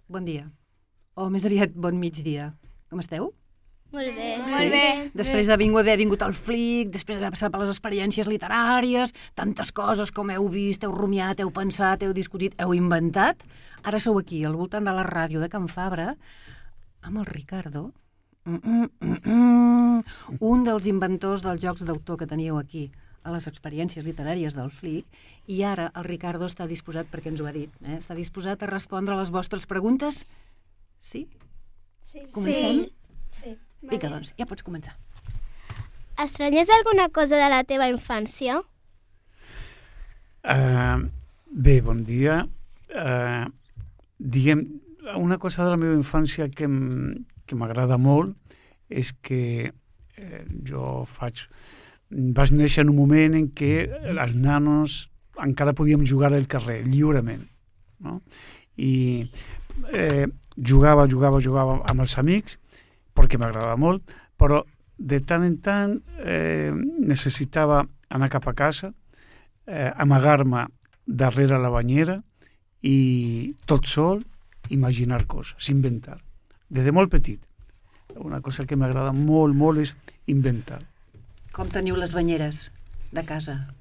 Bon dia. O més aviat, bon migdia. Com esteu? Molt bé. Sí? Molt bé. Després d'haver vingut al Flic, després d'haver passat per les experiències literàries, tantes coses com heu vist, heu rumiat, heu pensat, heu discutit, heu inventat, ara sou aquí, al voltant de la ràdio de Can Fabra, amb el Ricardo, un dels inventors dels jocs d'autor que teníeu aquí a les experiències literàries del Flic, i ara el Ricardo està disposat, perquè ens ho ha dit, està disposat a respondre a les vostres preguntes? Sí? Sí. Comencem? Sí. Vinga, doncs, ja pots començar. Estranyes alguna cosa de la teva infància? Bé, bon dia. Diguem, una cosa de la meva infància que m'agrada molt és que vaig néixer en un moment en què els nanos encara podíem jugar al carrer, lliurement, no? I jugava amb els amics, perquè m'agradava molt, però de tant en tant necessitava anar cap a casa, amagar-me darrere la banyera i tot sol imaginar coses, inventar. Des de molt petit. Una cosa que m'agrada molt, molt és inventar. Com teniu les banyeres de casa?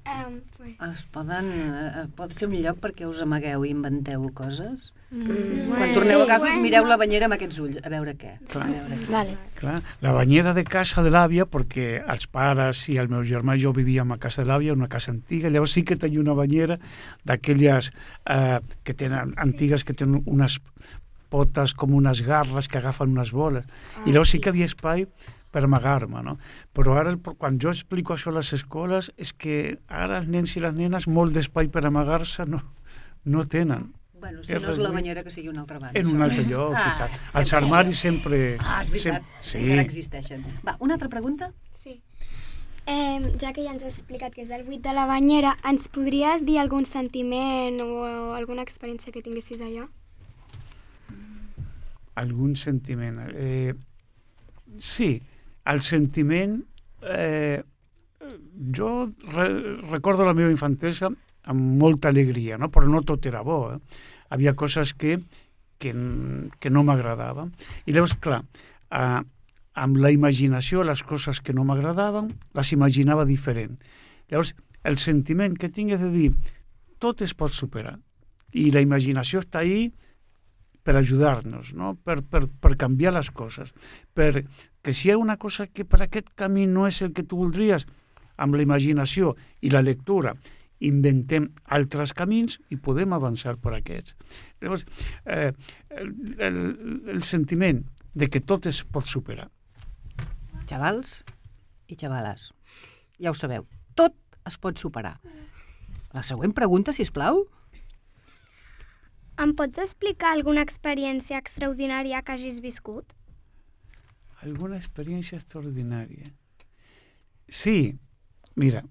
Pot ser un lloc perquè us amagueu i inventeu coses? Quan torneu a casa us mireu la banyera amb aquests ulls, a veure què. Clar, la banyera de casa de l'àvia, perquè els pares i el meu germà i jo vivíem a casa de l'àvia, una casa antiga, llavors sí que tenia una banyera d'aquelles que tenen antigues, que tenen unes potes com unes garres que agafen unes boles. I llavors sí que havia espai per amagar-me, no? Però ara, quan jo explico això a les escoles, és que ara els nens i les nenes molt d'espai per amagar-se no tenen. Bueno, si no és la banyera, que sigui una altra banda. En un altre lloc, i tal. Els armaris sempre... És veritat, encara existeixen. Va, una altra pregunta? Sí. Ja que ja ens has explicat que és el buit de la banyera, ens podries dir algun sentiment o alguna experiència que tinguessis allà? Algun sentiment? Sí, el sentiment... Jo recordo la meva infantesa amb molta alegria, no? Però no tot era bo. Havia coses que no m'agradaven. I llavors, clar, amb la imaginació, les coses que no m'agradaven, les imaginava diferent. Llavors, el sentiment que tinc és de dir, tot es pot superar. I la imaginació està ahí per ajudar-nos, no? per canviar les coses. Perquè si hi ha una cosa que per aquest camí no és el que tu voldries, amb la imaginació i la lectura inventem altres camins i podem avançar per aquests. Llavors, el sentiment de que tot es pot superar. Xavals i xavales, ja ho sabeu, tot es pot superar. La següent pregunta, sisplau. Em pots explicar alguna experiència extraordinària que hagis viscut? Alguna experiència extraordinària? Sí, mira,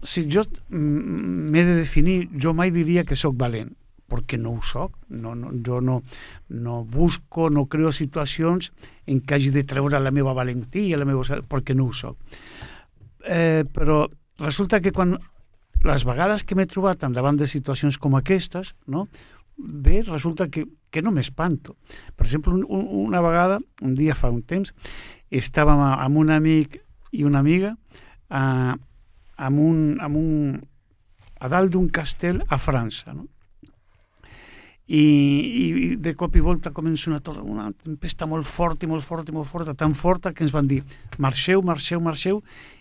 si jo m'he de definir, jo mai diria que sóc valent, perquè no ho soc. Jo no busco, no creo situacions en què hagi de treure la meva valentia, perquè no ho soc. Però resulta que quan les vegades que m'he trobat davant de situacions com aquestes, no? Bé, resulta que no m'espanto. Per exemple, una vegada, un dia fa un temps, estàvem amb un amic i una amiga a dalt d'un castell a França, no? I de cop i volta comença una tempesta molt forta, tan forta que ens van dir marxeu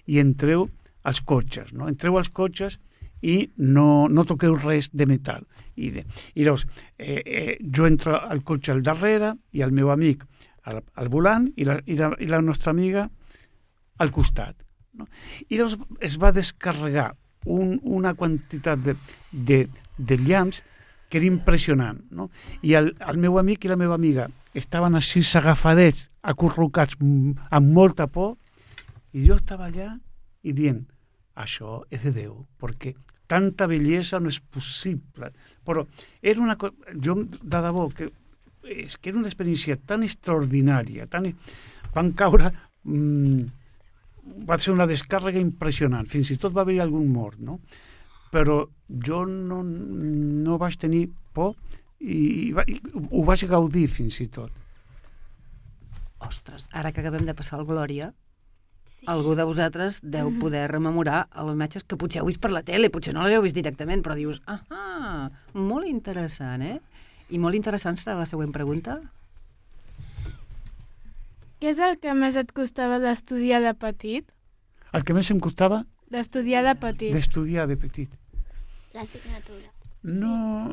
i entreu als cotxes, no? Entreu als cotxes i no toqueu res de metal. I llavors, jo entro al cotxe al darrere i el meu amic al volant i la nostra amiga al costat, no? I llavors es va descarregar una quantitat de llamps que era impressionant, no? I el meu amic i la meva amiga estaven així agafadets, acurrucats, amb molta por, i jo estava allà i dient, això és de Déu, perquè tanta bellesa no és possible. Però era una cosa, jo de debò, és que era una experiència tan extraordinària, van caure, va ser una descàrrega impressionant, fins i tot va haver algun mort, no? però jo no vaig tenir por i ho vaig gaudir fins i tot. Ostres, ara que acabem de passar el Glòria, algú de vosaltres deu poder rememorar les imatges que potser heu vist per la tele, potser no les heu vist directament, però dius, molt interessant, I molt interessant serà la següent pregunta. Què és el que més et costava d'estudiar de petit? El que més em costava? D'estudiar de petit. D'estudiar de petit. L'assignatura. No...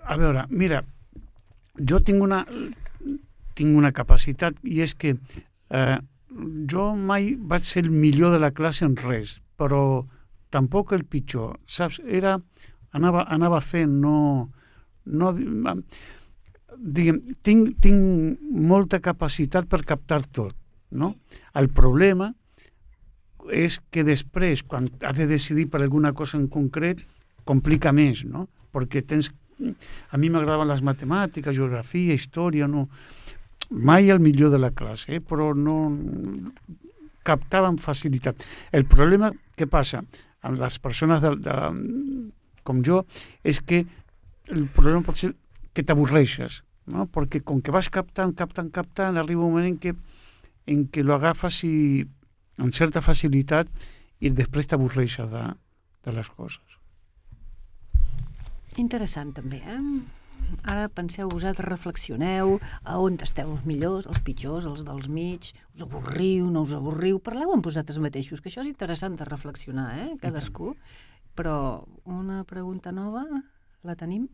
A veure, mira, jo tinc una capacitat i és que jo mai vaig ser el millor de la classe en res, però tampoc el pitjor, saps? Anava fent, diguem, tinc molta capacitat per captar tot, no? El problema és que després, quan has de decidir per alguna cosa en concret, complica més, no? Perquè a mi m'agradaven les matemàtiques, geografia, història, no... Mai el millor de la classe, però no captava amb facilitat. El problema que passa amb les persones com jo és que el problema pot ser que t'avorreixes, no? Perquè com que vas captant, arriba un moment en què lo agafes amb certa facilitat i després t'avorreixes de les coses. Interessant també, Ara penseu vosaltres, reflexioneu a on esteu els millors, els pitjors, els dels mig, us avorriu, no us avorriu, parleu amb vosaltres mateixos, que això és interessant de reflexionar, cadascú. Però una pregunta nova, la tenim?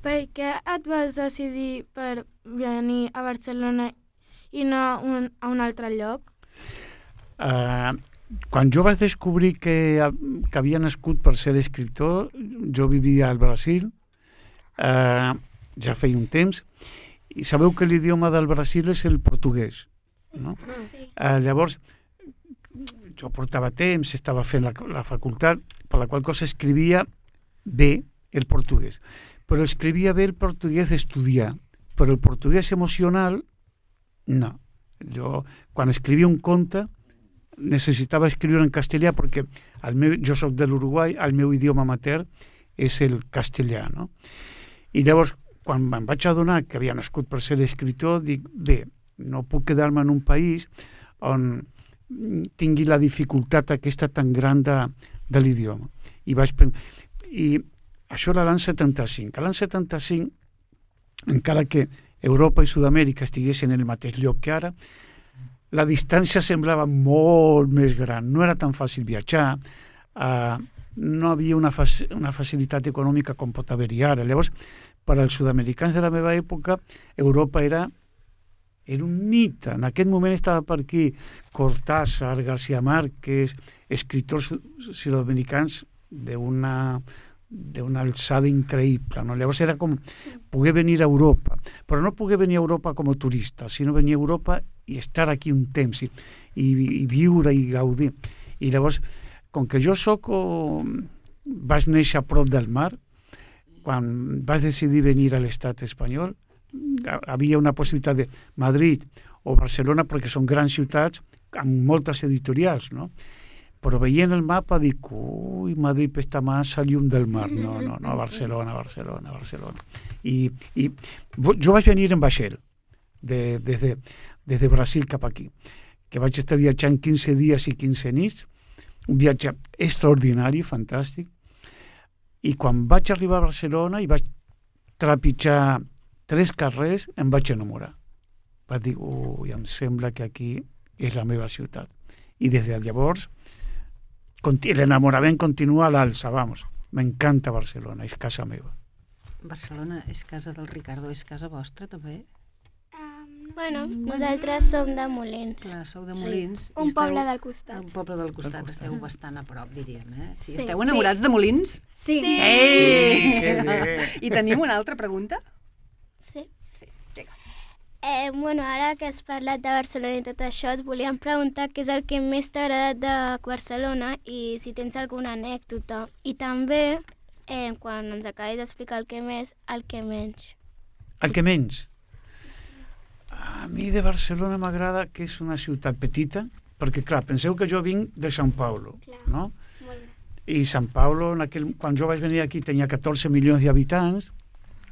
Per què et vas decidir per venir a Barcelona i no a un altre lloc? Quan jo vaig descobrir que havia nascut per ser escriptor, jo vivia al Brasil, ja feia un temps, i sabeu que l'idioma del Brasil és el portuguès, no? Sí. Llavors, jo portava temps, estava fent la facultat, per la qual cosa escrivia bé el portuguès. Però escrivia bé el portuguès d'estudiar, però el portuguès emocional, no. Jo, quan escrivia un conte, necessitava escriure en castellà perquè jo soc de l'Uruguai, el meu idioma matern és el castellà, no? I llavors, quan me'n vaig adonar que havia nascut per ser escriptor, dic, bé, no puc quedar-me en un país on tingui la dificultat aquesta tan gran de l'idioma. I això era l'any 75. A l'any 75, encara que Europa i Sud-amèrica estiguessin en el mateix lloc que ara, la distància semblava molt més gran. No era tan fàcil viatjar, no havia una facilitat econòmica com pot haver-hi ara. Llavors, per als sud-americans de la meva època, Europa era un mite. En aquest moment estava per aquí Cortázar, García Márquez, escriptors sud-americans d'una alçada increïble, no? Llavors era com poder venir a Europa, però no poder venir a Europa com a turista, sinó venir a Europa i estar aquí un temps i viure i gaudir. I llavors, com que jo vaig néixer a prop del mar, quan vaig decidir venir a l'estat espanyol, havia una possibilitat de Madrid o Barcelona, perquè són grans ciutats amb moltes editorials, no? Però veient el mapa dic, Madrid està massa lluny del mar, no, Barcelona. I jo vaig venir en vaixell, des de Brasil cap aquí, que vaig estar viatjant 15 dies i 15 nits, un viatge extraordinari, fantàstic, i quan vaig arribar a Barcelona i vaig trepitjar 3 carrers, em vaig enamorar. Vaig dir, em sembla que aquí és la meva ciutat. I des de llavors, l'enamorament continua a l'alça, vamos. M'encanta Barcelona, és casa meva. Barcelona és casa del Ricardo, és casa vostra també? Bueno, nosaltres som de Molins. Clar, sou de Molins. Un poble del costat. Un poble del costat, esteu bastant a prop, diríem, Sí, esteu enamorats de Molins? Sí. I tenim una altra pregunta? Sí. Vinga. Bueno, ara que has parlat de Barcelona i tot això, et volíem preguntar què és el que més t'ha agradat de Barcelona i si tens alguna anècdota. I també, quan ens acabis d'explicar el que més, el que menys. El que menys? A mi de Barcelona m'agrada que és una ciutat petita, perquè, clar, penseu que jo vinc de Sant Paulo, no? I Sant Paulo, quan jo vaig venir aquí, tenia 14 milions d'habitants.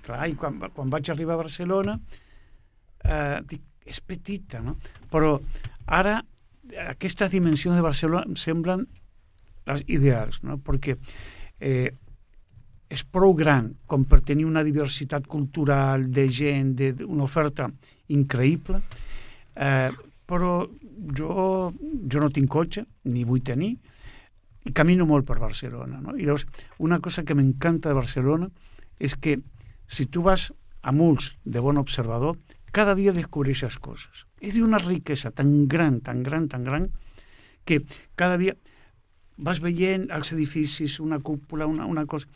Clar, i quan vaig arribar a Barcelona, dic, és petita, no? Però ara aquestes dimensions de Barcelona em semblen les ideals, no? Perquè és prou gran com per tenir una diversitat cultural de gent, una oferta increïble, però jo no tinc cotxe, ni vull tenir, i camino molt per Barcelona, no? I llavors, una cosa que m'encanta de Barcelona és que si tu vas a Molts de bon observador, cada dia descobreixes coses. És d'una riquesa tan gran, que cada dia vas veient els edificis, una cúpula, una cosa,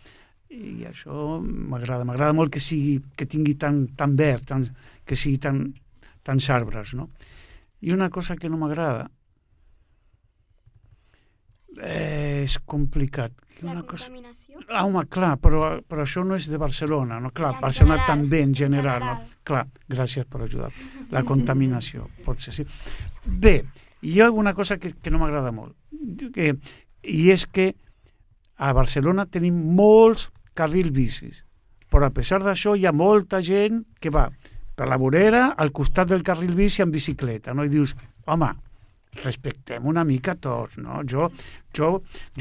i això m'agrada molt que tingui tan verd, que sigui tants arbres, no? I una cosa que no m'agrada és complicat. La contaminació? Home, clar, però això no és de Barcelona, no? Clar, Barcelona també en general, no? Clar, gràcies per ajudar. La contaminació, potser sí. Bé, hi ha una cosa que no m'agrada molt, i és que a Barcelona tenim molts carrils bicis, però a pesar d'això hi ha molta gent que va per la vorera al costat del carril bici en bicicleta, no? I dius, home, respectem una mica tots, no? Jo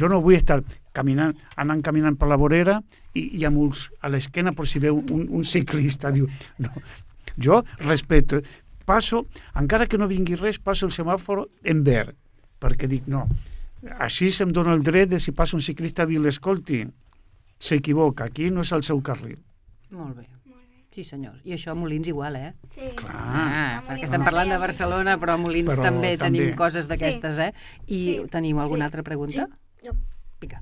no vull estar anant caminant per la vorera i amb ulls a l'esquena per si veu un ciclista. Diu, no. Jo respeto, passo, encara que no vingui res, passo el semàfor en verd, perquè dic, no, així se'm dona el dret de si passa un ciclista a dir, escolti, s'equivoca, aquí no és el seu carril. Molt bé. Sí, senyor. I això a Molins igual, eh? Sí. Clar. Perquè estem parlant de Barcelona, però a Molins també tenim coses d'aquestes, eh? I tenim alguna altra pregunta? Sí, jo. Pica.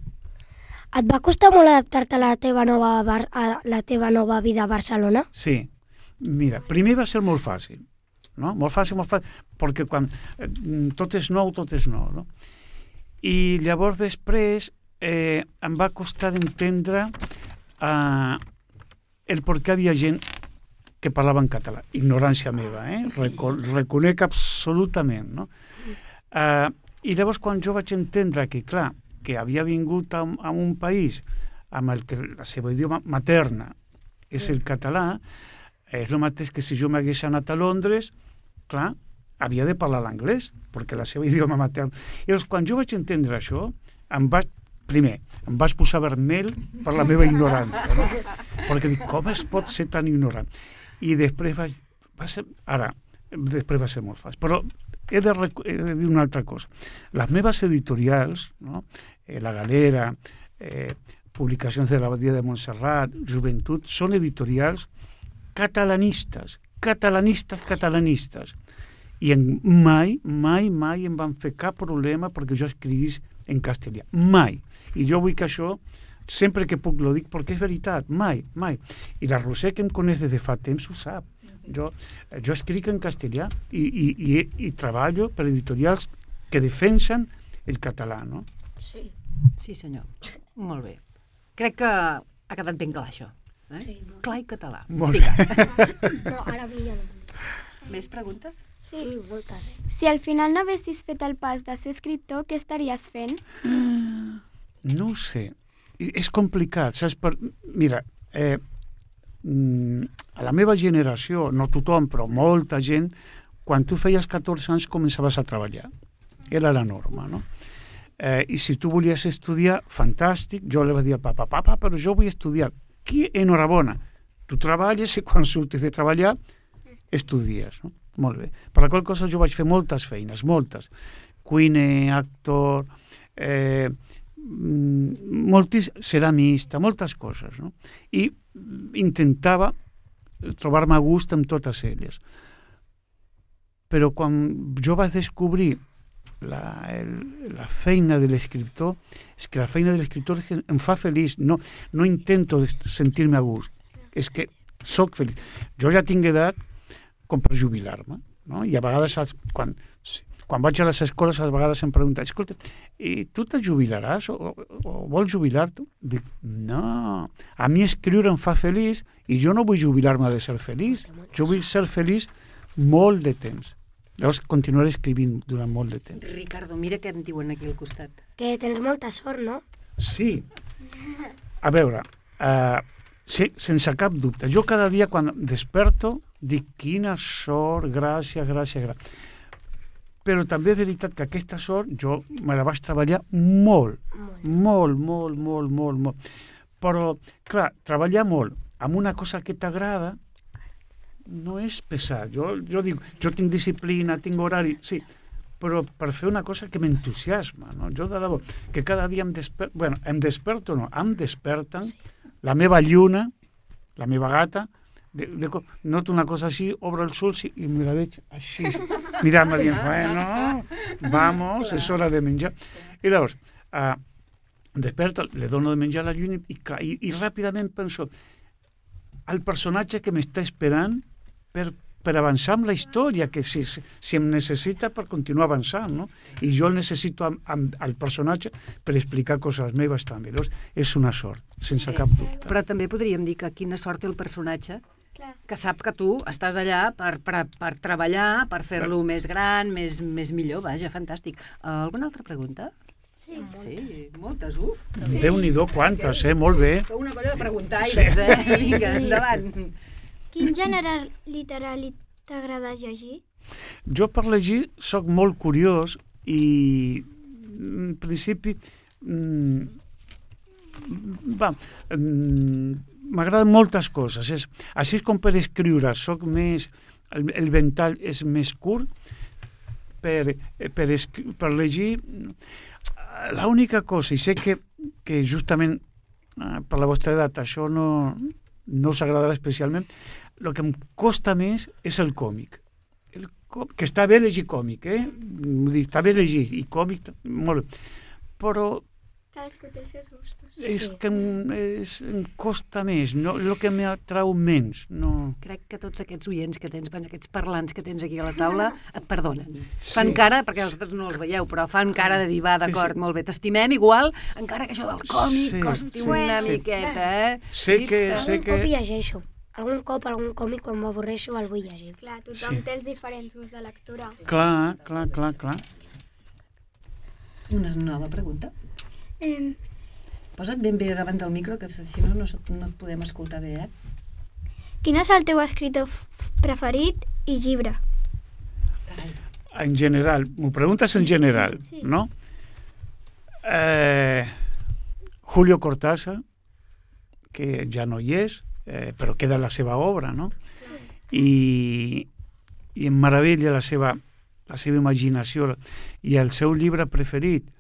Et va costar molt adaptar-te a la teva nova vida a Barcelona? Sí. Mira, primer va ser molt fàcil, no? Molt fàcil, perquè quan tot és nou, no? I llavors després em va costar entendre el per què havia gent que parlava en català. Ignorància meva, reconec absolutament, no? I llavors quan jo vaig entendre que, clar, que havia vingut a un país amb el que la seva idioma materna és el català, és el mateix que si jo m'hagués anat a Londres, clar, havia de parlar l'anglès, perquè la seva idioma materna... I llavors, quan jo vaig entendre això, em vaig posar vermell per la meva ignorància, no? Perquè dic, com es pot ser tan ignorant? I després va ser molt fàcil. Però he de dir una altra cosa. Les meves editorials, no? La Galera, Publicacions de l'Abadia de Montserrat, Joventut, són editorials catalanistes. I mai em van fer cap problema perquè jo escrivís en castellà. Mai. I jo vull que això, sempre que puc lo dic, perquè és veritat. Mai. I la Roser, que em coneix des de fa temps, ho sap. Jo escric en castellà i treballo per editorials que defensen el català, no? Sí. Sí, senyor. Molt bé. Crec que ha quedat ben clar, això. Sí, clar i català. Molt bé. No, ara ja no. Més preguntes? Sí, moltes, Si al final no haguessis fet el pas de ser escriptor, què estaries fent? No ho sé. És complicat, saps? Mira, a la meva generació, no tothom, però molta gent, quan tu feies 14 anys començaves a treballar. Era la norma, no? I si tu volies estudiar, fantàstic. Jo li vaig dir al papa, però jo vull estudiar. Enhorabona. Tu treballes i quan surtis de treballar estudies, no? Molt bé. Per la qual cosa jo vaig fer moltes feines, moltes. Cuiner, actor, ceramista, moltes coses, no? I intentava trobar-me a gust amb totes elles. Però quan jo vaig descobrir la feina de l'escriptor, és que la feina de l'escriptor em fa feliç, no intento sentir-me a gust, és que soc feliç. Jo ja tinc edat com per jubilar-me, no? I a vegades, quan vaig a les escoles, a vegades em pregunten, escolta, i tu te jubilaràs o vols jubilar-te? Dic, no, a mi escriure em fa feliç i jo no vull jubilar-me de ser feliç, jo vull ser feliç molt de temps. Llavors continuaré escrivint durant molt de temps. Ricardo, mira què em diuen aquí al costat. Que tens molta sort, no? Sí. A veure, sí, sense cap dubte. Jo cada dia quan desperto dic quina sort, gràcies. Però també és veritat que aquesta sort jo me la vaig treballar molt. Però, clar, treballar molt amb una cosa que t'agrada no és pesat. Jo dic, jo tinc disciplina, tinc horari, sí, però per fer una cosa que m'entusiasma, no? Jo de debò, que cada dia em desperten la meva lluna, la meva gata, noto una cosa així, obro els ulls i me la veig així, mirant-me dient, bueno, vamos, és hora de menjar. I llavors, desperto, le dono de menjar a la lluna i ràpidament penso al personatge que m'està esperant per avançar amb la història, que si em necessita per continuar avançant, no? I jo el necessito al personatge per explicar coses meves també. Llavors, és una sort, sense cap dubte. Però també podríem dir que quina sort té el personatge que sap que tu estàs allà per treballar, per fer-lo més gran, més millor, vaja, fantàstic. Alguna altra pregunta? Sí, moltes, uf. Déu-n'hi-do, quantes, molt bé. Sou una colla de preguntaires, Vinga, endavant. Quin gènere literari t'agrada llegir? Jo per llegir soc molt curiós i en principi m'agraden moltes coses. Així com per escriure soc més, el ventall és més curt, per llegir l'única cosa, i sé que justament per la vostra edat això no us agradarà especialment, el que em costa més és el còmic. Que està bé llegir còmic, Vull dir, està bé llegir, i còmic, molt bé. Però cadascú té els seus gustos. És que em costa més, el que m'atrau menys. No. Crec que tots aquests oients que tens, aquests parlants que tens aquí a la taula, et perdonen. Fan cara, perquè vosaltres no els veieu, però fan cara de dir, va, d'acord, molt bé, t'estimem igual, encara que això del còmic costi una miqueta, Sé que... Algun cop llegeixo. Algun cop, algun còmic, quan m'avorreixo, el vull llegir. Clar, tothom té els diferents gust de lectura. Clar. Una nova pregunta. Posa't ben bé davant del micro, que si no et podem escoltar bé, Quin és el teu escritor preferit i llibre? En general, m'ho preguntes en general, no? Julio Cortázar, que ja no hi és, però queda la seva obra, no? I em meravella la seva imaginació i el seu llibre preferit.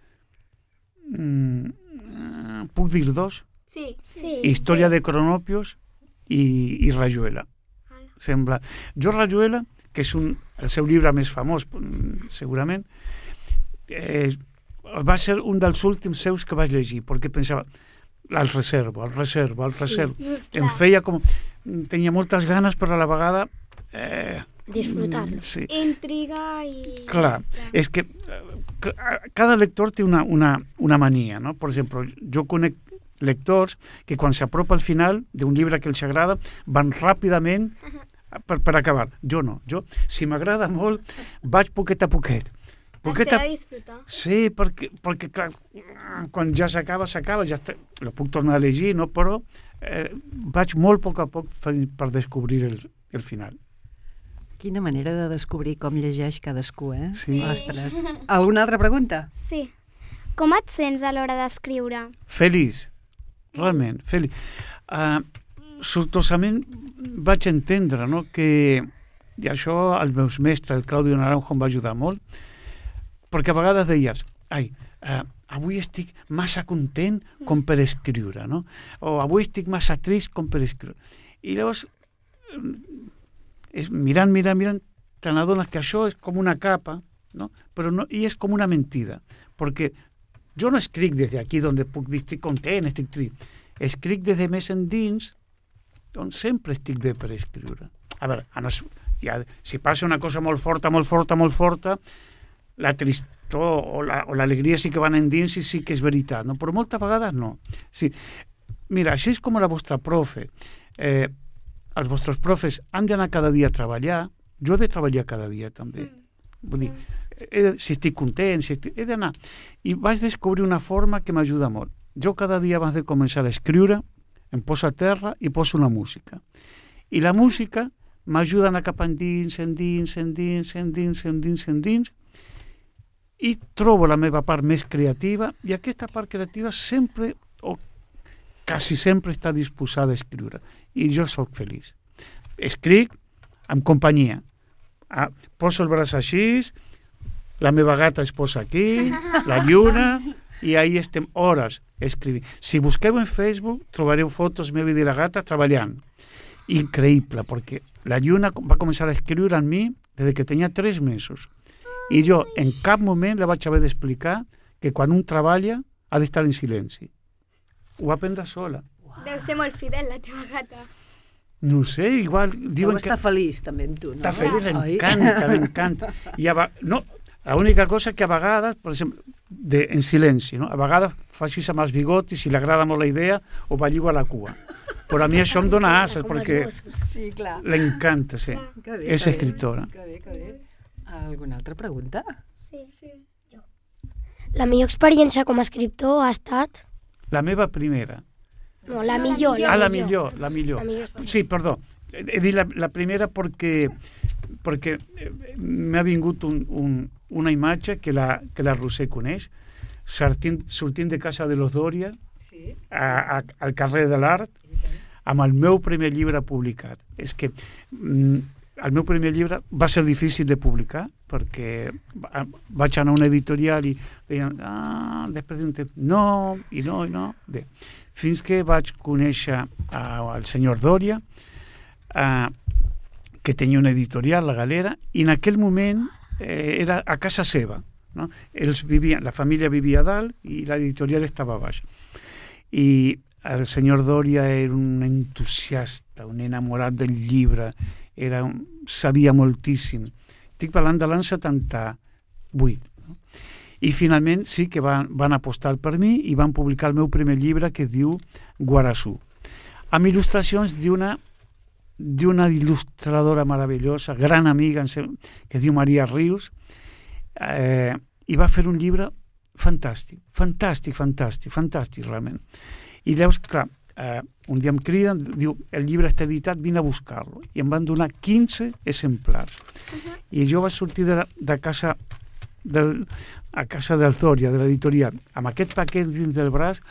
Puc dir dos? Sí. Història de Cronopios i Rayuela. Sembla. Jo Rayuela, que és el seu llibre més famós, segurament, va ser un dels últims seus que vaig llegir, perquè pensava, el reservo. Em feia com... Tenia moltes ganes, però a la vegada... Disfrutar-lo. Sí. Intriga i... Clar, és que cada lector té una mania, no? Per exemple, jo conec lectors que quan s'apropa al final d'un llibre que els agrada van ràpidament per acabar. Jo no. Jo, si m'agrada molt, vaig poquet a poquet. T'he de disfrutar. Sí, perquè clar, quan ja s'acaba, ja lo puc tornar a llegir, no? Però vaig molt a poc per descobrir el final. Quina manera de descobrir com llegeix cadascú, Sí. Ostres. Alguna altra pregunta? Sí. Com et sents a l'hora d'escriure? Feliç, realment, feliç. Sortosament vaig entendre, no?, que i això els meus mestres, el Claudio Naranjo, em va ajudar molt, perquè a vegades deies, avui estic massa content com per escriure, no? O avui estic massa trist com per escriure. I llavors, mirant, te n'adones que això és com una capa, no? Però no, i és com una mentida, perquè jo no escric des d'aquí on puc dir estic content, estic trist. Escric des de més endins, on sempre estic bé per escriure. A veure, si passa una cosa molt forta, la tristor o l'alegria sí que van endins i sí que és veritat, no? Però moltes vegades no. Sí. Mira, així és com la vostra profe. Els vostres profes han d'anar cada dia a treballar, jo he de treballar cada dia també. Vull dir, si estic content, he d'anar. I vaig descobrir una forma que m'ajuda molt. jo cada dia abans de començar a escriure em poso a terra i poso una música. I la música m'ajuda a anar cap endins, i trobo la meva part més creativa, i aquesta part creativa sempre, o quasi sempre, està disposada a escriure. I jo soc feliç. Escric amb companyia. Poso el braç així, la meva gata es posa aquí, la lluna, i ahí estem hores escrivint. Si busqueu en Facebook, trobareu fotos meves de la gata treballant. Increïble, perquè la lluna va començar a escriure en mi des que tenia 3 mesos. I jo en cap moment la vaig haver d'explicar que quan un treballa ha d'estar en silenci. Ho va aprendre sola. Deu ser molt fidel, la teva gata. No sé, igual... Deu estar feliç també amb tu, no? Està feliç, m'encanta. No, l'única cosa que a vegades, per exemple, en silenci, no? A vegades fa així amb els bigotis, si li agrada molt la idea, o va lligar a la cua. Però a mi això em dona asses, perquè sí, clar. L'encanta, sí. És escriptora. Que bé. Alguna altra pregunta? Sí. La millor experiència com a escriptor ha estat... La meva primera. No, la millor. La millor. Sí, perdó. He dit la primera perquè m'ha vingut una imatge que la Roser coneix, sortint de casa de los Doria, al carrer de l'Art, amb el meu primer llibre publicat. És que el meu primer llibre va ser difícil de publicar perquè vaig anar a una editorial i deien, després d'un temps, no. Bé, fins que vaig conèixer el senyor Doria, que tenia una editorial, La Galera, i en aquell moment era a casa seva. No? La família vivia a dalt i l'editorial estava a baix. I el senyor Doria era un entusiasta, un enamorat del llibre, sabia moltíssim. Estic parlant de l'any 78. No? I finalment sí que van apostar per mi i van publicar el meu primer llibre que es diu Guarassú, amb il·lustracions d'una il·lustradora meravellosa, gran amiga, que es diu Maria Rius, i va fer un llibre fantàstic, realment. I llavors, clar, un dia em criden, diu, el llibre està editat, vine a buscar-lo. I em van donar 15 exemplars. I jo vaig sortir de casa a casa del Doria, de l'editorial, amb aquest paquet dins del braç.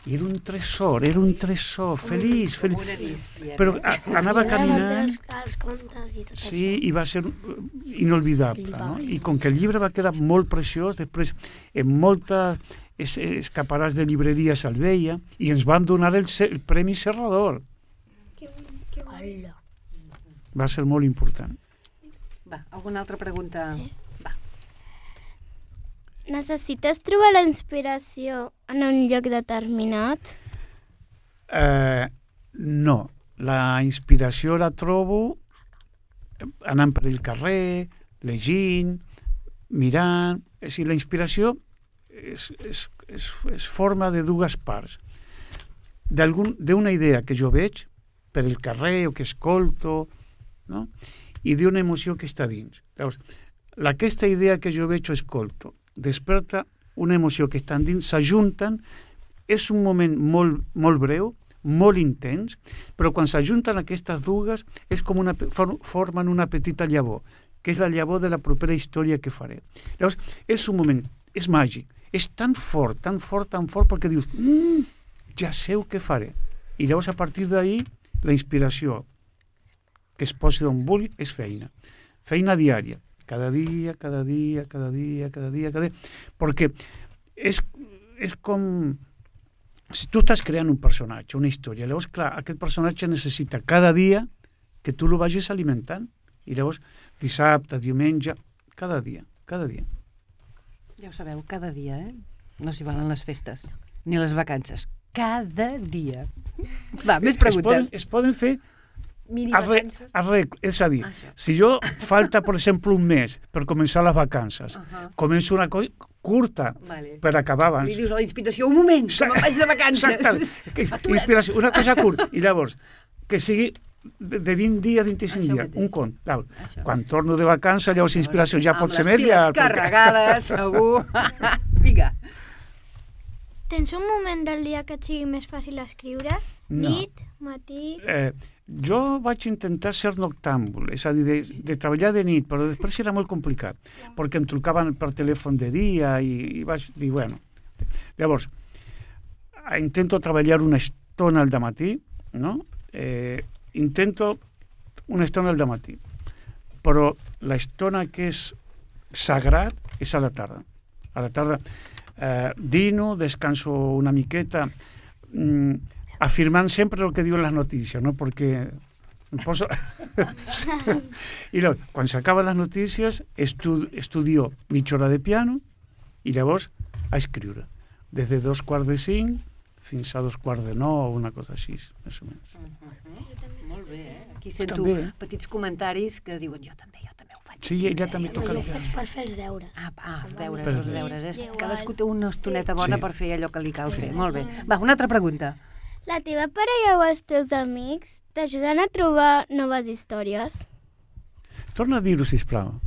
Era un tresor, feliç. Però anava caminant... Sí, i va ser inolvidable. No? I com que el llibre va quedar molt preciós, després en moltes escaparats de llibreries el veia i ens van donar el Premi Serrador. Va ser molt important. Va, alguna altra pregunta? Sí. Necessites trobar la inspiració en un lloc determinat? No. La inspiració la trobo anant per el carrer, llegint, mirant. És a dir, la inspiració es forma de dues parts. D'una idea que jo veig per el carrer o que escolto, no? I d'una emoció que està dins. Llavors, aquesta idea que jo veig o escolto desperta una emoció que estan dins, s'ajunten, és un moment molt breu, molt intens, però quan s'ajunten aquestes dues és com formen una petita llavor, que és la llavor de la propera història que faré. Llavors, és un moment, és màgic, és tan fort, perquè dius, ja sé què faré. I llavors, a partir d'ahir, la inspiració que es posi d'on vulgui és feina diària. Cada dia, perquè és com si tu estàs creant un personatge, una història, llavors, clar, aquest personatge necessita cada dia que tu lo vagis alimentant, i llavors dissabte, diumenge, cada dia. Ja ho sabeu, cada dia, no s'hi valen les festes, ni les vacances, cada dia. Va, més preguntes. Es poden fer mini-vacances? És a dir, si jo falta, per exemple, un mes per començar les vacances, començo una cosa curta per acabar abans. Li dius a la inspiració, un moment, que me'n vaig de vacances. Inspiració, una cosa curta. I llavors, que sigui de 20 dies, 25 dies, un cont. Quan torno de vacances, llavors inspiració ja pot ser més. Amb les piles carregades, segur. Vinga. Tens un moment del dia que et sigui més fàcil escriure? No. Nit, matí... Jo vaig intentar ser noctàmbul, és a dir, de treballar de nit, però després era molt complicat, perquè em trucaven per telèfon de dia i vaig dir, bueno... Llavors, intento treballar una estona al matí, no? Intento una estona al matí, però l'estona que és sagrat és a la tarda. A la tarda dino, descanso una miqueta, afirmant sempre el que diuen les notícies, no? Perquè em poso... I llavors, quan s'acaben les notícies, estudio mitja hora de piano i llavors a escriure. Des de 2:45 fins a 2:45, una cosa així, més o menys. Molt bé, Aquí sento També. petits comentaris que diuen jo també ho faig. Sí, així, ella també toca Jo el ho faig per fer els deures. Els deures, Per els deures. Igual. Cadascú té una estoneta bona Sí. per fer allò que li cal fer. Molt bé. Va, una altra pregunta. La teva parella o els teus amics t'ajuden a trobar noves històries? Torna a dir-ho, sisplau.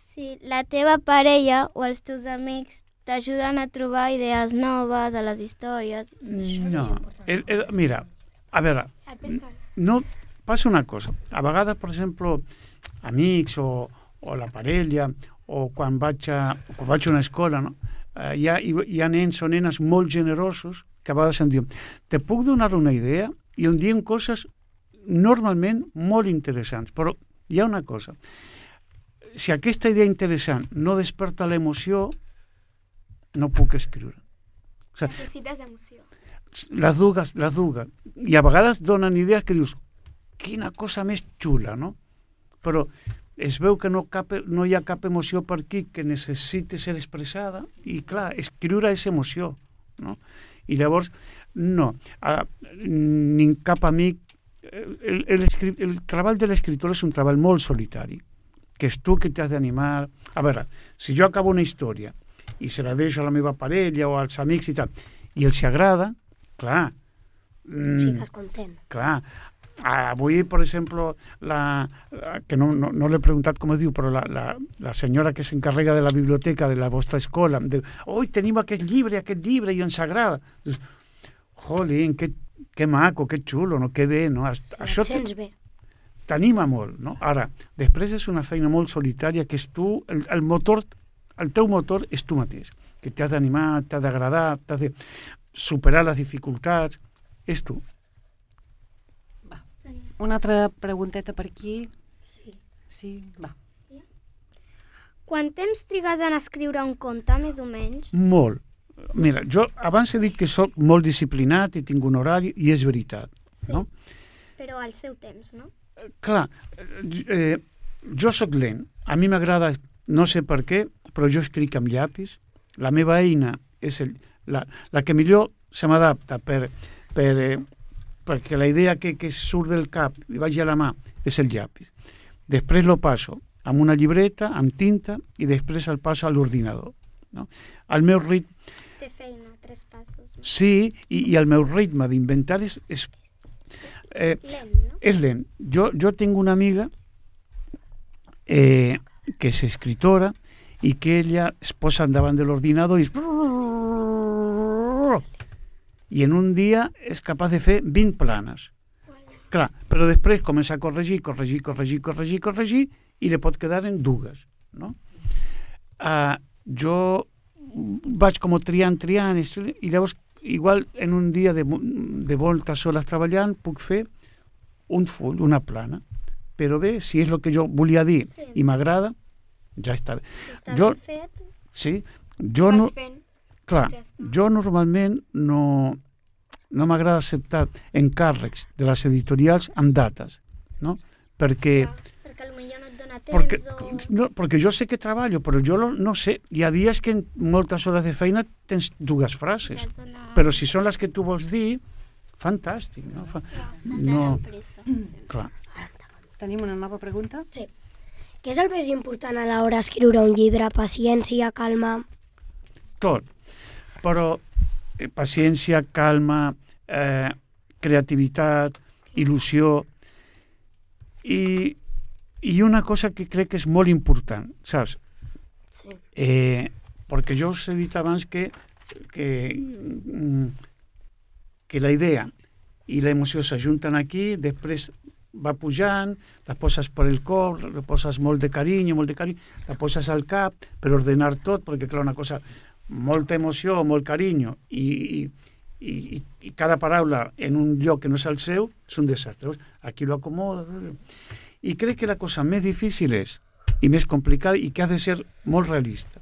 Sí, la teva parella o els teus amics t'ajuden a trobar idees noves a les històries. No. Mira, a veure, no passa una cosa. A vegades, per exemple, amics o la parella o quan vaig a una escola, no? Hi ha nens o nenes molt generosos que a vegades em diuen te puc donar una idea? I em diuen coses normalment molt interessants, però hi ha una cosa. Si aquesta idea interessant no desperta l'emoció, no puc escriure. O sigui, Necessites emoció. les dues. I a vegades donen idees que dius, quina cosa més xula, no? Però es veu que no hi ha cap emoció per aquí que necessiti ser expressada i, clar, escriure és emoció, no? I llavors, no, ni cap amic... El treball de l'escriptor és un treball molt solitari, que és tu que t'has d'animar. A veure, si jo acabo una història i se la deixo a la meva parella o als amics i tal, i els agrada, clar... Fiques content. Clar. Avui, per exemple, que no l'he preguntat com es diu, però la senyora que s'encarrega de la biblioteca de la vostra escola, diu, oi, tenim aquest llibre i ens agrada. Jolín, que maco, que xulo, no? Que bé, no? Això sents bé. t'anima molt, no? Ara, després és una feina molt solitària que és tu, el teu motor és tu mateix, que t'has d'animar, t'has d'agradar, t'has de superar les dificultats, és tu. Una altra pregunteta per aquí. Sí, va. Quant temps trigues en escriure un conte, més o menys? Molt. Mira, jo abans he dit que sóc molt disciplinat i tinc un horari, i és veritat, no? Però al seu temps, no? Clar, jo sóc lent. A mi m'agrada, no sé per què, però jo escric amb llapis. La meva eina és la que millor se m'adapta perquè la idea que surt del cap i vagi a la mà és el llapis. Després lo passo amb una llibreta, amb tinta, i després el passo a l'ordinador. No? El meu ritme... Té feina, 3 passos. Sí, i el meu ritme d'inventar és Lent, no? és lent. Jo tinc una amiga que és escritora i que ella es posa davant de l'ordinador i en un dia és capaç de fer 20 planes. Clar, però després comença a corregir i li pot quedar en 2, no? Jo vaig com triant i llavors igual en un dia de moltes hores treballant puc fer un full, una plana, però bé, si és el que jo volia dir i m'agrada, ja està bé. Si està ben fet, Sí, jo no... vas fent. Clar, Ja està. jo normalment no m'agrada acceptar encàrrecs de les editorials amb dates, no? Perquè Perquè potser no et dona Perquè, temps o... no, perquè jo sé que treballo, però jo no sé. Hi ha dies que en moltes hores de feina tens 2 frases, però si són les que tu vols dir, fantàstic. No? Clar. Tenim una nova pregunta? Sí. Què és el més important a l'hora d'escriure un llibre? Paciència, calma... Tot. Però paciència, calma, creativitat, il·lusió i una cosa que crec que és molt important, saps? Sí. Perquè jo us he dit abans que la idea i l'emoció s'ajunten aquí, després va pujant, la poses per el cor, la poses molt de carinyo, la poses al cap per ordenar tot, perquè clar, una cosa, molta emoció, molt carinyo i cada paraula en un lloc que no és el seu, és un desastre. Aquí lo acomoda. I crec que la cosa més difícil és, i més complicada, i que ha de ser molt realista.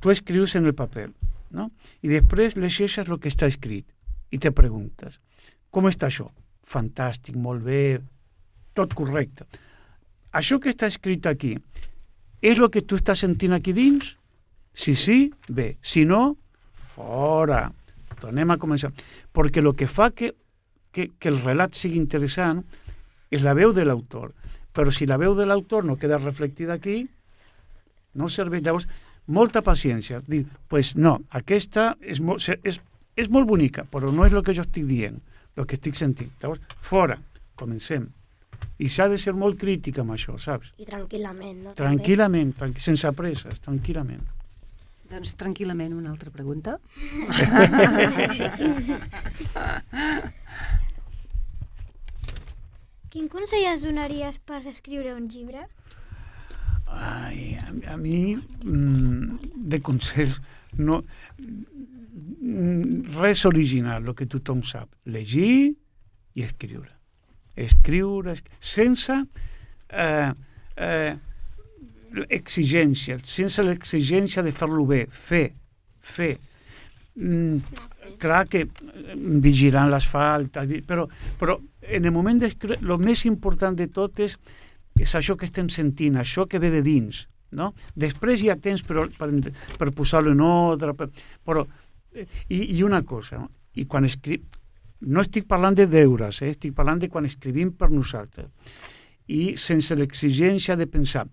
Tu escrius en el paper, no? I després llegeixes el que està escrit i te preguntes, com està això? Fantàstic, molt bé, tot correcte. Això que està escrit aquí, és el que tu estàs sentint aquí dins? Si sí, bé. Si no, fora. Tornem a començar. Perquè el que fa que el relat sigui interessant és la veu de l'autor. Però si la veu de l'autor no queda reflectida aquí, no serveix. Llavors, molta paciència. Dir, pues no, aquesta és molt bonica, però no és el que jo estic dient, el que estic sentint. Llavors, fora, comencem. I s'ha de ser molt crític amb això, saps? I tranquil·lament, no? Tranquil·lament, sense presses, tranquil·lament. Doncs tranquil·lament, una altra pregunta. Quin consell ens donaries per escriure un llibre? Ai, a mi, de consells, no, res original, el que tothom sap. Llegir i escriure. Sense exigència, sense l'exigència de fer-lo bé, fer. Clar que vigilant les faltes, però en el moment d'escriure, el més important de tot és això que estem sentint, això que ve de dins, no? Després hi ha temps per posar-lo en ordre, però i una cosa, no? I quan no estic parlant de deures, estic parlant de quan escrivim per nosaltres, i sense l'exigència de pensar,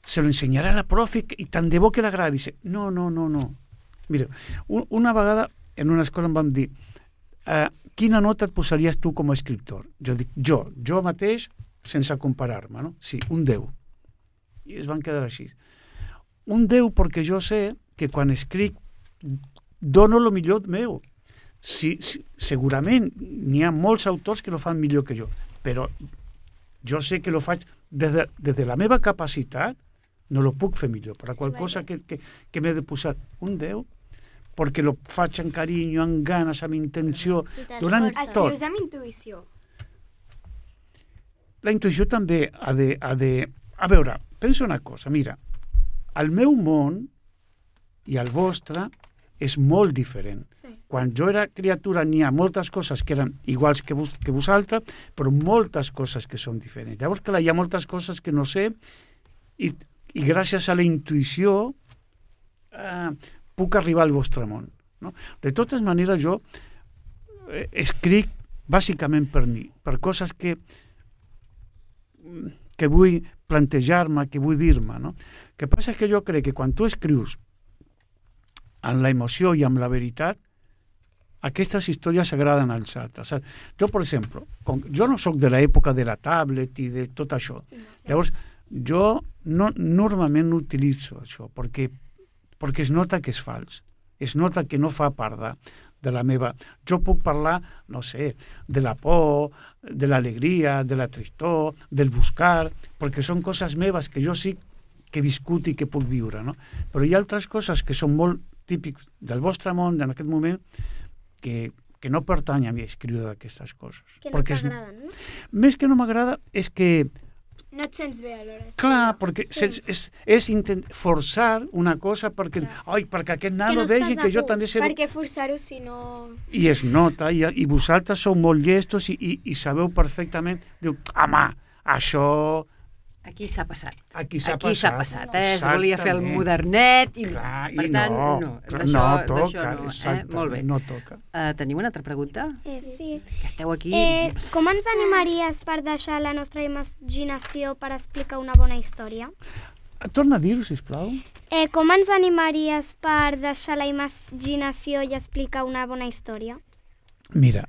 se lo ensenyarà a la profe i tant de bo que l'agradi. No. Mira, una vegada en una escola em van dir, quina nota et posaries tu com a escriptor? Jo dic, jo mateix, sense comparar-me, no? Sí, un 10. I es van quedar així. Un 10 perquè jo sé que quan escric dono el millor meu. Segurament n'hi ha molts autors que lo fan millor que jo, però jo sé que lo faig des de la meva capacitat, no lo puc fer millor, per a qualcosa que m'he de posar un 10, perquè lo faig amb carinyo, amb ganes, amb intenció, donant tot. Escrius amb intuïció. La intuïció també ha de... A veure, pensa una cosa, mira, el meu món i el vostre és molt diferent. Sí. Quan jo era criatura n'hi ha moltes coses que eren iguals que vosaltres, però moltes coses que són diferents. Llavors, clar, hi ha moltes coses que no sé i gràcies a la intuïció puc arribar al vostre món. No? De totes maneres, jo escric bàsicament per mi, per coses que vull plantejar-me, que vull dir-me. No? El que passa és que jo crec que quan tu escrius amb la emoció i amb la veritat, aquestes històries agraden als altres. Jo, per exemple, jo no sóc de l'època de la tablet i de tot això. Llavors, jo normalment no utilitzo això, perquè es nota que és fals. Es nota que no fa part de la meva... Jo puc parlar, no sé, de la por, de l'alegria, de la tristor, del buscar, perquè són coses meves que jo sí que he viscut i que puc viure, no? Però hi ha altres coses que són molt típics del vostre món en aquest moment que no pertany a mi escriure d'aquestes coses. Que no t'agraden, no? Més que no m'agrada és que... No et sents bé alhora. Clar, perquè és forçar una cosa perquè aquest nano vegi que jo també sé... Per què forçar-ho si no... I es nota, i vosaltres sou molt llestos i sabeu perfectament, diu, home, això... Aquí s'ha passat. Aquí s'ha passat. Es volia fer el modernet i clar, per tant, no toca. Molt bé. No toca. Teniu una altra pregunta? Sí. Que esteu aquí... Com ens animaries per deixar la nostra imaginació per explicar una bona història? Torna a dir-ho, sisplau. Com ens animaries per deixar la imaginació i explicar una bona història? Mira,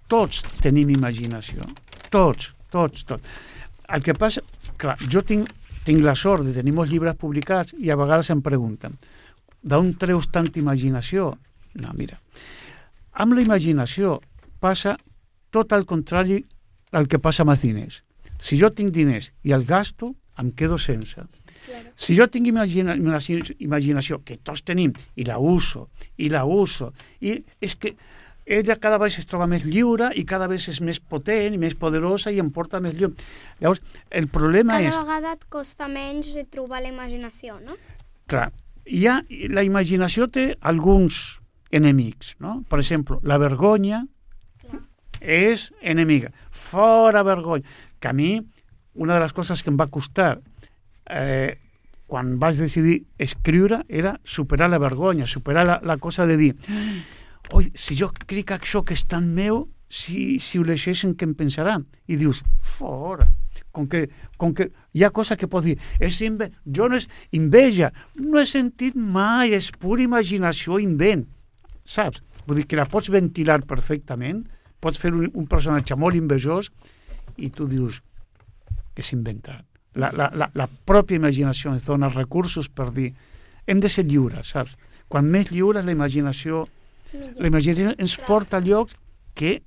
tots tenim imaginació. Tots. El que passa, clar, jo tinc la sort de tenir molts llibres publicats i a vegades em pregunten d'on treus tanta imaginació? No, mira, amb la imaginació passa tot el contrari del que passa amb els diners. Si jo tinc diners i els gasto, em quedo sense. Si jo tinc imaginació, que tots tenim, i la uso, i és que ella cada vegada es troba més lliure i cada vegada és més potent i més poderosa i em porta més lluny. Llavors, el problema és... Cada vegada et costa menys trobar la imaginació, no? Clar, la imaginació té alguns enemics, no? Per exemple, la vergonya és enemiga. Fora vergonya. Que a mi, una de les coses que em va costar quan vaig decidir escriure era superar la vergonya, superar la cosa de dir oi, si jo crec això que és tan meu, si ho llegeixen, què em pensaran? I dius, fora. Com que hi ha cosa que pots dir, jo no és enveja, no he sentit mai, és pura imaginació, invent, saps? Vull dir que la pots ventilar perfectament, pots fer un personatge molt envejós i tu dius, és inventat. La pròpia imaginació ens dona recursos per dir, hem de ser lliures, saps? Quan més lliures la imaginació ens porta a llocs que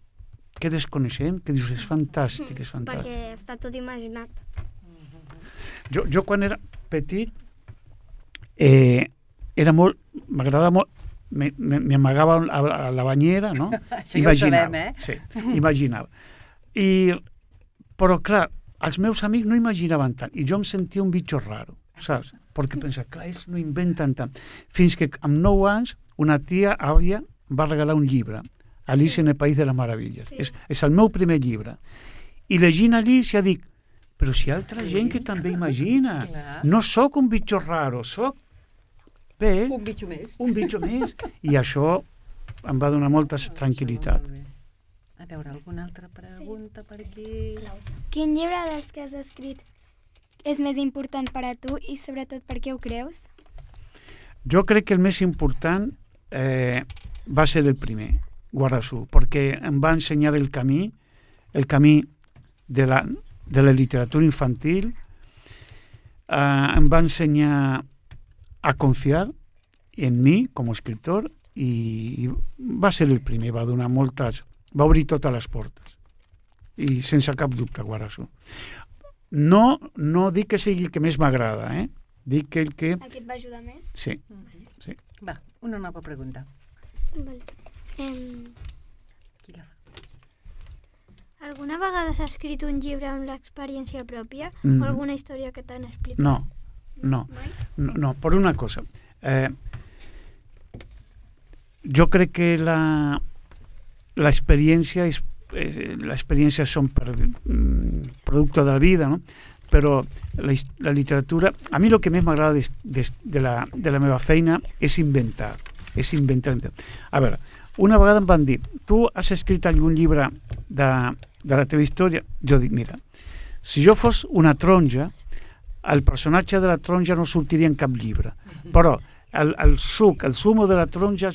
desconeixem, que dius, és fantàstic, és fantàstic. Perquè està tot imaginat. Jo quan era petit m'agradava molt, m'amagava a la banyera, no? Això ja ho sabem, Sí, imaginava. Però clar, els meus amics no imaginaven tant, i jo em sentia un bitxo raro, saps? Perquè pensava, clar, ells no inventen tant. Fins que amb 9 anys una tia àvia va regalar un llibre, Alicia en el País de les Meravilles. Sí. És el meu primer llibre. I llegint Alicia dic, però si hi ha altra gent que també imagina. Clar. No sóc un bitxo raro, sóc un bitxo més. Un bitxo més. I això em va donar molta tranquil·litat. A veure, alguna altra pregunta per aquí? Quin llibre dels que has escrit és més important per a tu i sobretot per què ho creus? Jo crec que el més important va ser el primer, Guardasú, perquè em va ensenyar el camí de la literatura infantil, em va ensenyar a confiar en mi com a escriptor i va ser el primer, va obrir totes les portes i sense cap dubte Guardasú. No dic que sigui el que més m'agrada, dic que el que... El que et va ajudar més? Sí. Va, una nova pregunta. Vale. Qui la fa? Alguna vegada has escrit un llibre amb l'experiència pròpia o alguna història que t'han explicat? No, per una cosa. Jo crec que l'experiència són producte de la vida, no? Però la literatura, a mi el que més m'agrada de la meva feina és inventar. A veure, una vegada em van dir, tu has escrit algun llibre de la teva història? Jo dic, mira, si jo fos una taronja, el personatge de la taronja no sortiria en cap llibre, però el sumo de la taronja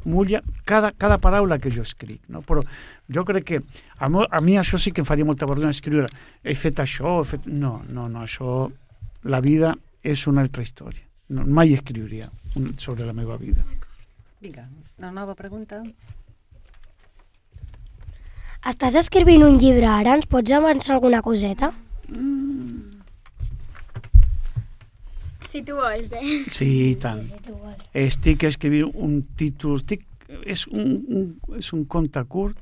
mulla cada paraula que jo escric, no? Però jo crec que a mi això sí que em faria molta vergonya escriure, he fet això, no, això, la vida és una altra història, mai escriuria sobre la meva vida. Vinga, una nova pregunta. Estàs escrivint un llibre ara, ens pots avançar alguna coseta? Si tu vols, Sí, i tant. Estic escrivint un títol, és un conte curt,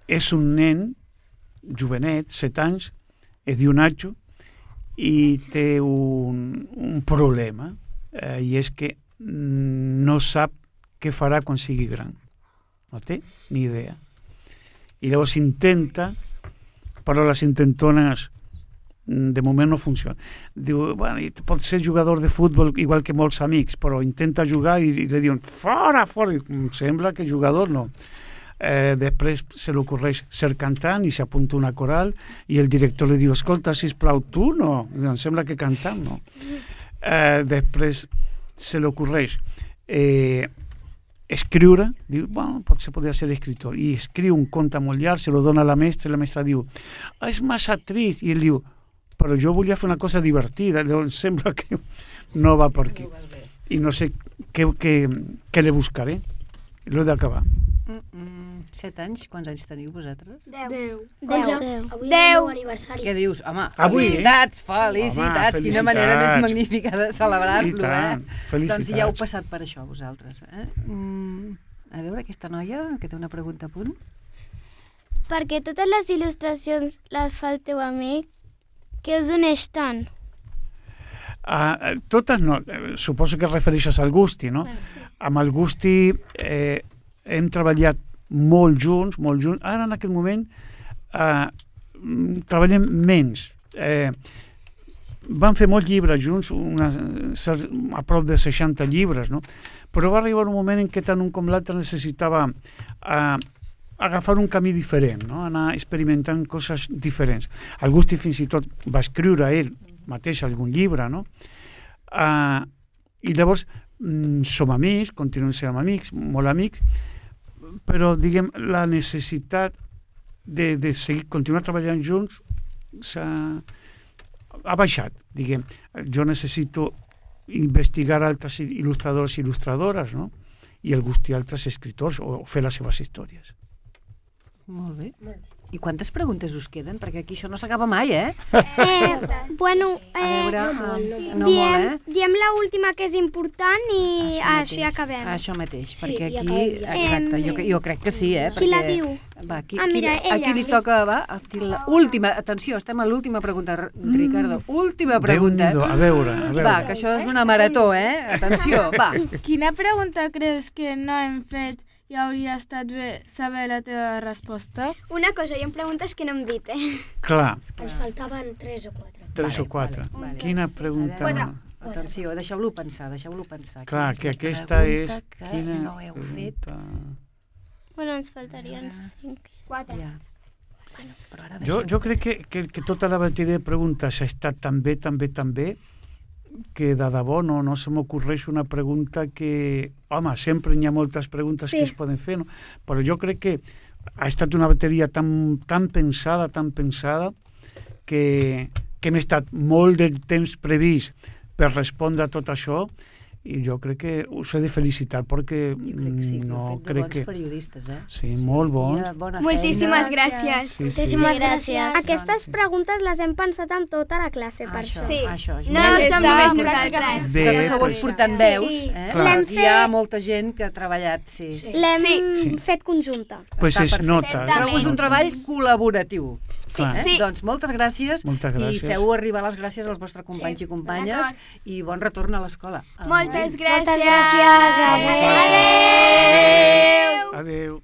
és un nen, jovenet, 7 anys, es diu Nacho, i té un problema, i és que no sap què farà quan sigui gran. No té ni idea. I llavors intenta, però les intentones de moment no funciona. Diu, bueno, pot ser jugador de futbol igual que molts amics, però intenta jugar i li diuen, fora! Em sembla que jugador no. Després se li ocorreix ser cantant i s'apunta una coral i el director li diu, escolta, sisplau, tu no? Em sembla que cantant no. Després se li ocorreix escriure, diu, bueno, potser podria ser escritor, i escriu un conte molt llarg, se lo dona a la mestra, i la mestra diu, és massa trist, i ell diu, però jo volia fer una cosa divertida, llavors sembla que no va per aquí. I no sé què le buscaré. L'he d'acabar. 7 anys, quants anys teniu vosaltres? 10. 11. Avui és el meu aniversari. Què dius? Home, Avui, felicitats. Home, Quina manera més felicitats. magnífica de celebrar-lo, I tant, felicitats. Doncs ja heu passat per això, vosaltres. A veure, aquesta noia, que té una pregunta a punt. Perquè totes les il·lustracions les fa el teu amic, què us uneix tant? Totes no, suposo que et refereixes al Gusti, no? Amb el Gusti hem treballat molt junts. Ara, en aquest moment, treballem menys. Vam fer molts llibres junts, a prop de 60 llibres, no? Però va arribar un moment en què tant un com l'altre necessitava agafar un camí diferent, no? Anar experimentant coses diferents. El Gusti fins i tot va escriure ell mateix algun llibre, no? I llavors som amics, continuem sent amics, molt amics, però, diguem, la necessitat de seguir, continuar treballant junts ha baixat, diguem. Jo necessito investigar altres il·lustradors i il·lustradores, no? I el Gusti altres escriptors, o fer les seves històries. Molt bé. I quantes preguntes us queden? Perquè aquí això no s'acaba mai, Bueno, A veure, no molt, diem la última que és important i així acabem. Això mateix, Sí, perquè i aquí... acabem Exacte, jo crec que sí, Qui la diu? Va, mira, ella. a qui li toca, va? Última, atenció, estem a l'última pregunta, Ricardo. Última pregunta. Déu-n'hi-do, a veure. Va, que això és una marató, Atenció, va. Quina pregunta creus que no hem fet i hauria estat bé saber la teva resposta? Una cosa, hi ha preguntes que no hem dit, Clar, Ens faltaven 3 o 4. 3 o 4. vale. Quina pregunta... Atenció, deixeu-lo pensar. Clar, Quina que és la aquesta és... pregunta que Quina no heu fet. Bueno, ens faltarien 5. 4. Ja. Però ara Jo crec que tota la bateria de preguntes ha estat tan bé, que de debò no se m'ocorreix una pregunta que... Home, sempre hi ha moltes preguntes que es poden fer, no? Però jo crec que ha estat una bateria tan pensada, que hem estat molt de temps previst per respondre a tot això, i jo crec que us he de felicitar perquè Jo crec que sí, que heu fet de crec bons periodistes, Sí, molt bons. Bona Moltíssimes feina. gràcies. Sí, Moltíssimes gràcies. Aquestes preguntes les hem pensat amb tota la classe, per Això, això. això. No som només nosaltres. Bé, Que no sou els pues, portant veus, Sí. Clar. Aquí hi ha molta gent que ha treballat, sí. L'hem Sí. fet conjunta. pues Està es perfecte. nota. Però és un treball col·laboratiu. Clar. Sí. Doncs moltes gràcies, Moltes i gràcies. feu arribar les gràcies als vostres companys i companyes i bon retorn a l'escola. Moltes gràcies. Moltes gràcies. Adéu.